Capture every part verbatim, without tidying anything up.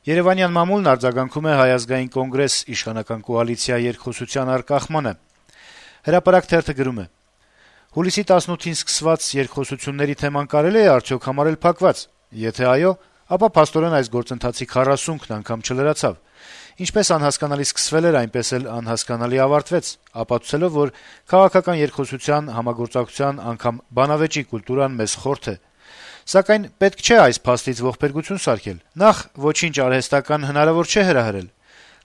Երեւանյան մամուլն արձագանքում է Հայ ազգային կոնգրես իշխանական կոալիցիա երկխոսության արկախմանը։ Հրապարակ թերթը գրում է. - «Հուլիսի տասնութին սկսված երկխոսությունների թեման կարելի է արդյոք համարել փակված: Եթե այո, ապա փաստորեն այս գործընթացի քառասունքն անգամ չլրացավ: Ինչպես անհասկանալի սկսվել էր, այնպես էլ անհասկանալի ավարտվեց, ապացուցելով, որ քաղաքական երկխոսության, համագործակցության, անգամ բանավեճի կուլտուրան մեզ խորթ է: Սակայն պետք չէ այս փաստից ողբերգություն սարքել: Նախ, ոչինչ արհեստական հնարավոր չէ հրահրել: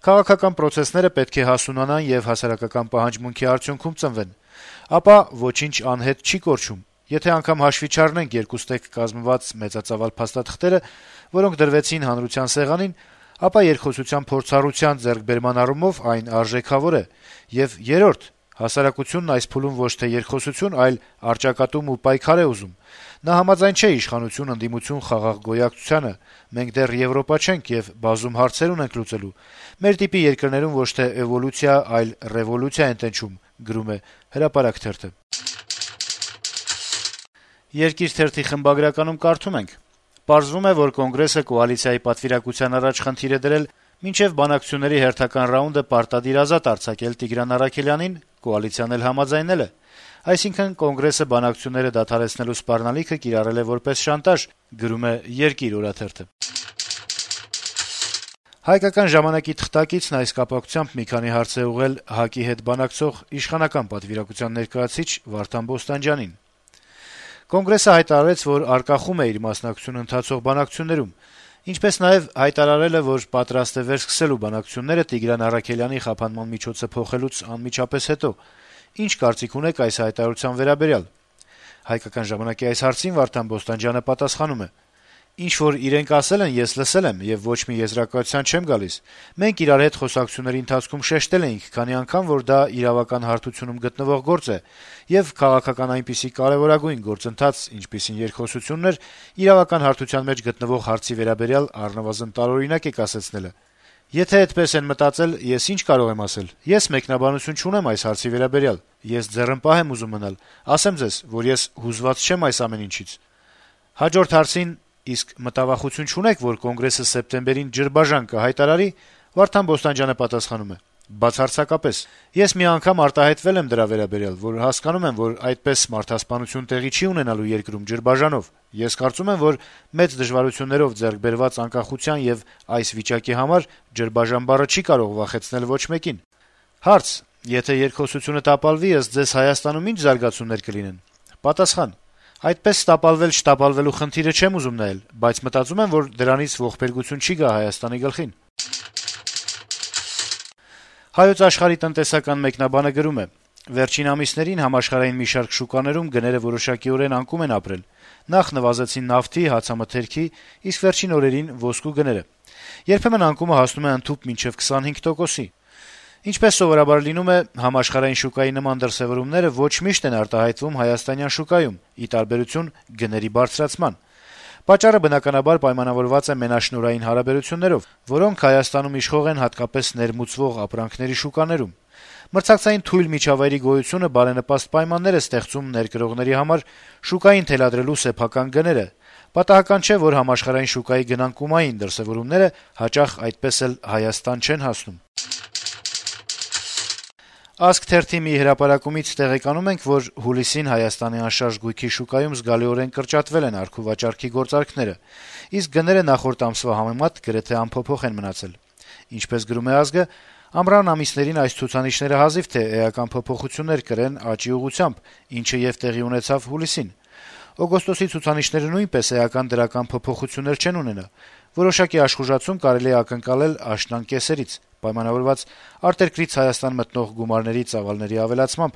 Քաղաքական պրոցեսները պետք է հասունանան եւ հասարակական պահանջմունքի արդյունքում ծնվեն: Ապա ոչինչ անհետ չի կորչում: Եթե անգամ հաշվի չառնենք երկուստեք կազմված մեծածավալ փաստաթղթերը, որոնք դրվեցին հանրության սեղանին, ապա երկխոսության փորձառության ձեռքբերման առումով այն արժեքավոր է: Եվ երրորդ, հասարակությունն այս փուլում ոչ թե երկխոսություն, այլ առճակատում ու պայքար է ուզում: Նա համաձայն չէ իշխանություն-ընդդիմություն խաղաղ գոյակցությանը: Մենք դեռ Եվրոպա չենք եւ բազում հարցեր ունենք լուծելու: Մեր տիպի երկրներում ոչ թե էվոլյուցիա, այլ ռեվոլյուցիա են տենչում»: «Երկիր» թերթի խմբագրականում կարդում ենք. - «Պարզվում է, որ Կոնգրեսը կոալիցիայի պատվիրակության առաջ խնդիր է դրել մինչեւ բանակցությունների հերթական ռաունդը պարտադիր ազատ արձակել Տիգրան Առաքելյանին, կոալիցիան էլ համաձայնել է: Այսինքն Կոնգրեսը բանակցությունները դադարեցնելու սպառնալիքը կիրառել է որպես շանտաժ»: «Հայկական ժամանակ»-ի թղթակիցն այս կապակցությամբ մի քանի հարց է ուղղել ՀԱԿ-ի հետ բանակցող իշխանական պատվիրակության ներկայացուցիչ Վարդան Բոստանջյանին: Կոնգրեսը հայտարարեց, որ արկախում է իր մասնակցությունը ընթացող բանակցություններում, ինչպես նաեւ հայտարարել է, որ պատրաստ է վերսկսելու բանակցությունները Տիգրան Առաքելյանի խափանման միջոցը փոխելուց անմիջապես հետո: Ինչ կարծիք ունեք այս հայտարարության վերաբերյալ»: Այս հարցին Վարդան Բոստանջյանը պատասխանում է. - «Ինչ որ իրենք ասել են, ես լսել եմ եւ ոչ մի եզրակացության չեմ գալիս: Մենք իրար հետ խոսակցությունների ընթացքում շեշտել էինք քանի անգամ, որ դա իրավական հարթությունում գտնվող գործ է, եւ քաղաքական այնպիսի կարեւորագույն գործընթաց, ինչպիսին երկխոսությունն էր, իրավական հարթության մեջ գտնվող հարցի վերաբերյալ առնվազն տարօրինակ է կասեցնելը: Եթե այդպես են մտածել, ես ինչ կարող եմ ասել: Ես մեկնաբանություն չունեմ այս հարցի վերաբերյալ: Ես ձեռնպահ եմ ուզում մնալ: Ասեմ ձեզ, որ ես հուզված չեմ այս ամեն ինչից»: Հաջորդ հարցին` իսկ մտավախություն չունե՞ք, որ Կոնգրեսը սեպտեմբերին ջրբաժան կհայտարարի, Վարդան Բոստանջյանը պատասխանում է. - «Բացարձակապես: Ես մի անգամ արտահայտվել եմ դրա վերաբերյալ, որ հասկանում եմ, որ այդպես մարդասպանություն տեղի չի ունենալու երկրում ջրբաժանով: Ես կարծում եմ, որ մեծ դժվարություններով ձեռք բերված անկախության եւ այս վիճակի համար ջրբաժան բառը չի կարող վախեցնել ոչ մեկին»: Հարց. - «Եթե երկխոսությունը տապալվի, ըստ ձեզ Հայաստանում ի՞նչ զարգացումներ կլինեն»: Պատասխան. - «Այդպես տապալվել-չտապալվելու խնդիրը չեմ ուզում նայել, բայց մտածում եմ, որ դրանից ողբերգություն չի գա Հայաստանի գլխին»: «Հայոց Աշխարհ»-ի տնտեսական մեկնաբանը գրում է. - «Վերջին ամիսներին համաշխարհային մի շարք շուկաներում գները որոշակիորեն անկում են ապրել: Նախ նվազեցին նավթի, հացամթերքի, իսկ վերջին օրերին` ոսկու գները: Երբեմն անկումը հասնում է ընդհուպ մինչեւ քսանհինգ տոկոսի: Ինչպես սովորաբար լինում է, համաշխարհային շուկայի նման դրսեւորումները ոչ միշտ են արտահայտվում հայաստանյան շուկայում, ի տարբերություն գների բարձրացման: Պատճառը, բնականաբար, պայմանավորված է մենաշնորհային հարաբերություններով, որոնք Հայաստանում իշխող են հատկապես ներմուծվող ապրանքների շուկաներում: Մրցակցային թույլ միջավայրի գոյությունը բարենպաստ պայմաններ է ստեղծում ներկրողների համար շուկային թելադրելու սեփական գները: Պատահական չէ, որ համաշխարհային շուկայի գնանկումային դրսեւորումները հաճախ այդպես էլ Հայաստան չեն հասնում»: «Ազգ» թերթի մի հրապարակումից տեղեկանում ենք, որ հուլիսին Հայաստանի անշարժ գույքի շուկայում զգալիորեն կրճատվել են առք-ու-վաճառքի գործարքները, իսկ գները նախորդ ամսվա համեմատ գրեթե անփոփոխ են մնացել: Ինչպես գրում է «Ազգ»-ը, ամռան ամիսներին այս ցուցանիշները հազիվ թե էական փոփոխություններ կրեն աճի ուղղությամբ, ինչը եւ տեղի ունեցավ հուլիսին: Օգոստոսի ցուցանիշները նույնպես էական դրական փոփոխություններ չեն ունենա: Որոշակի աշխուժացում կարելի է ակնկալել աշնան կեսերից` պայմանավորված արտերկրից Հայաստան մտնող գումարների ծավալների ավելացմամբ: